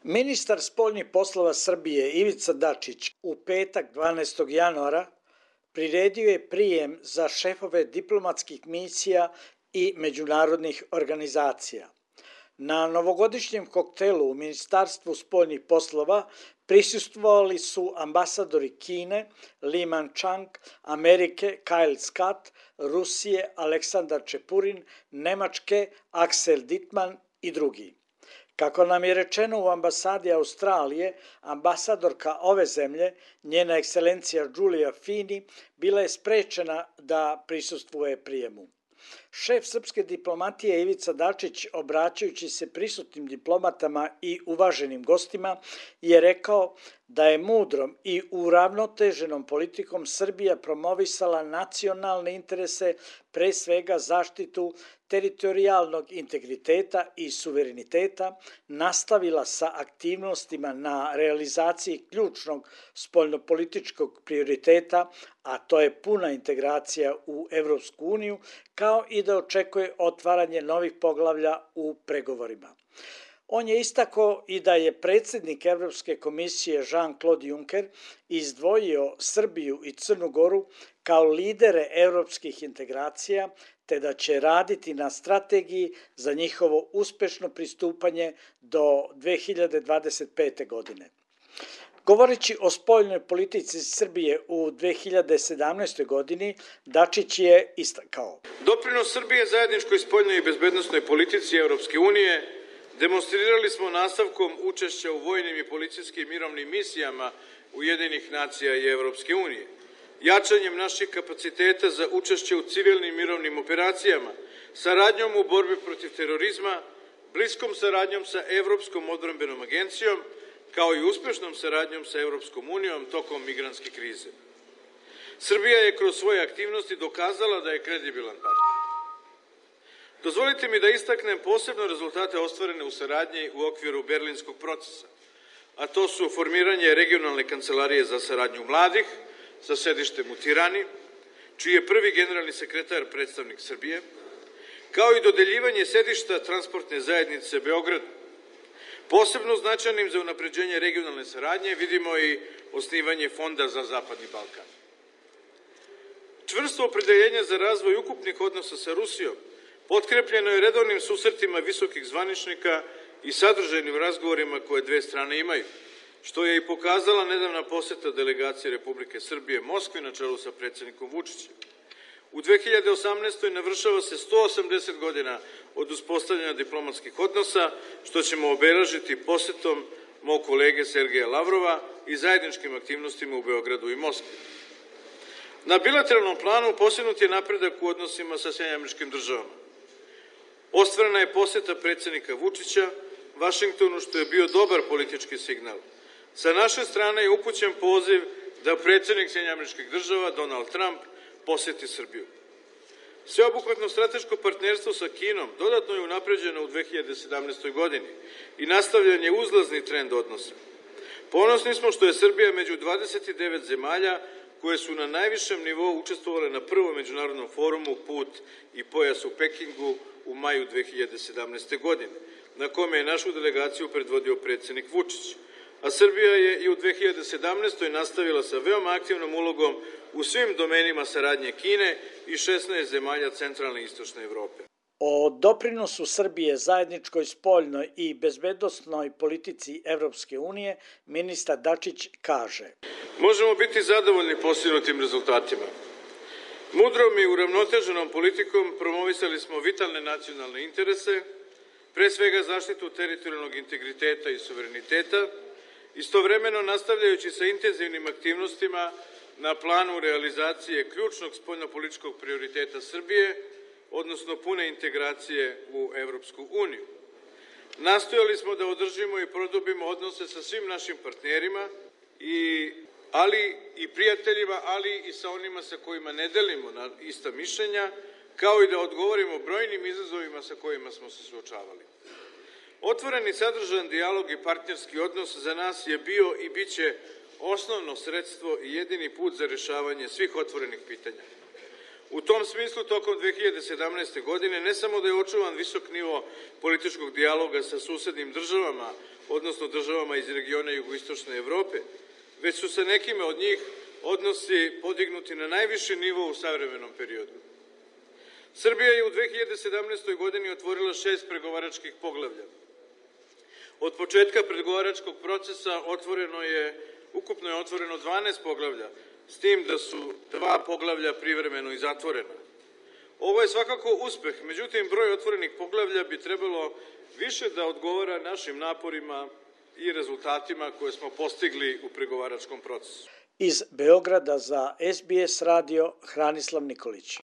Ministar spoljnih poslova Srbije Ivica Dačić u petak 12. januara priredio je prijem za šefove diplomatskih misija i međunarodnih organizacija. Na novogodišnjem koktelu u Ministarstvu spoljnih poslova prisustvovali su ambasadori Kine, Li Manchang, Amerike, Kyle Scott, Rusije, Aleksandar Čepurin, Nemačke, Axel Dittmann i drugi. Kako nam je rečeno u ambasadi Australije, ambasadorka ove zemlje, njena ekscelencija Giulia Fini, bila je sprečena da prisustvuje prijemu. Šef srpske diplomatije Ivica Dačić, obraćajući se prisutnim diplomatama i uvaženim gostima, je rekao da je mudrom i uravnoteženom politikom Srbija promovisala nacionalne interese, pre svega zaštitu teritorijalnog integriteta i suvereniteta, nastavila sa aktivnostima na realizaciji ključnog spoljnopolitičkog prioriteta, a to je puna integracija u Evropsku uniju, kao i da očekuje otvaranje novih poglavlja u pregovorima. On je istakao i da je predsjednik Evropske komisije Jean-Claude Juncker izdvojio Srbiju i Crnu Goru kao lidere evropskih integracija, te da će raditi na strategiji za njihovo uspešno pristupanje do 2025. godine. Govoreći o spoljnoj politici Srbije u 2017. godini, Dačić je istakao: Doprinos Srbije zajedničkoj spoljnoj i bezbednosnoj politici Evropske unije demonstrirali smo nastavkom učešća u vojnim i policijskim mirovnim misijama Ujedinjenih nacija i Evropske unije, jačanjem naših kapaciteta za učešće u civilnim mirovnim operacijama, saradnjom u borbi protiv terorizma, bliskom saradnjom sa Evropskom odbrambenom agencijom, kao i uspešnom saradnjom sa Evropskom unijom tokom migrantske krize. Srbija je kroz svoje aktivnosti dokazala da je kredibilan partner. Dozvolite mi da istaknem posebno rezultate ostvarene u saradnji u okviru Berlinskog procesa, a to su formiranje regionalne kancelarije za saradnju mladih sa sedištem u Tirani, čiji je prvi generalni sekretar predstavnik Srbije, kao i dodeljivanje sedišta transportne zajednice Beogradu. Posebno značajnim za unapređenje regionalne saradnje vidimo i osnivanje Fonda za Zapadni Balkan. Čvrsto opredeljenje za razvoj ukupnih odnosa sa Rusijom potkrepljeno je redovnim susretima visokih zvaničnika i sadržajnim razgovorima koje dve strane imaju, što je i pokazala nedavna poseta delegacije Republike Srbije Moskvi na čelu sa predsjednikom Vučićem. U 2018. navršava se 180 godina od uspostavljanja diplomatskih odnosa, što ćemo obeležiti posetom mog kolege Sergeja Lavrova i zajedničkim aktivnostima u Beogradu i Moskvi. Na bilateralnom planu postignut je napredak u odnosima sa SAD. Ostvarena je poseta predsjednika Vučića Vašingtonu, što je bio dobar politički signal. Sa naše strane je upućen poziv da predsjednik SAD Donald Trump poseti Srbiju. Sveobuhvatno strateško partnerstvo sa Kinom dodatno je unapređeno u 2017. godini i nastavljen je uzlazni trend odnosa. Ponosni smo što je Srbija među 29 zemalja koje su na najvišem nivou učestvovale na prvom međunarodnom forumu Put i pojas u Pekingu u maju 2017. godine, na kome je našu delegaciju predvodio predsjednik Vučić. A Srbija je i u 2017. nastavila sa veoma aktivnom ulogom u svim domenima saradnje Kine i 16 zemalja centralne i istočne Evrope. O doprinosu Srbije zajedničkoj spoljnoj i bezbednosnoj politici Evropske unije ministar Dačić kaže: Možemo biti zadovoljni postignutim rezultatima. Mudrom i uravnoteženom politikom promovisali smo vitalne nacionalne interese, pre svega zaštitu teritorijalnog integriteta i suvereniteta, istovremeno nastavljajući sa intenzivnim aktivnostima na planu realizacije ključnog spoljnopolitičkog prioriteta Srbije, odnosno pune integracije u Evropsku uniju. Nastojali smo da održimo i produbimo odnose sa svim našim partnerima, ali i prijateljima, ali i sa onima sa kojima ne delimo ista mišljenja, kao i da odgovorimo brojnim izazovima sa kojima smo se suočavali. Otvoreni sadržajan dijalog i partnerski odnos za nas je bio i bit će osnovno sredstvo i jedini put za rešavanje svih otvorenih pitanja. U tom smislu, tokom 2017. godine, ne samo da je očuvan visok nivo političkog dijaloga sa susednim državama odnosno državama iz regiona jugoistočne Evrope, već su sa nekime od njih odnosi podignuti na najviši nivo u savremenom periodu. Srbija je u 2017. godini otvorila 6 pregovaračkih poglavlja. Od početka pregovaračkog procesa ukupno je otvoreno 12 poglavlja, s tim da su 2 poglavlja privremeno i zatvorena. Ovo je svakako uspeh, međutim broj otvorenih poglavlja bi trebalo više da odgovara našim naporima i rezultatima koje smo postigli u pregovaračkom procesu. Iz Beograda za SBS radio Hranislav Nikolić.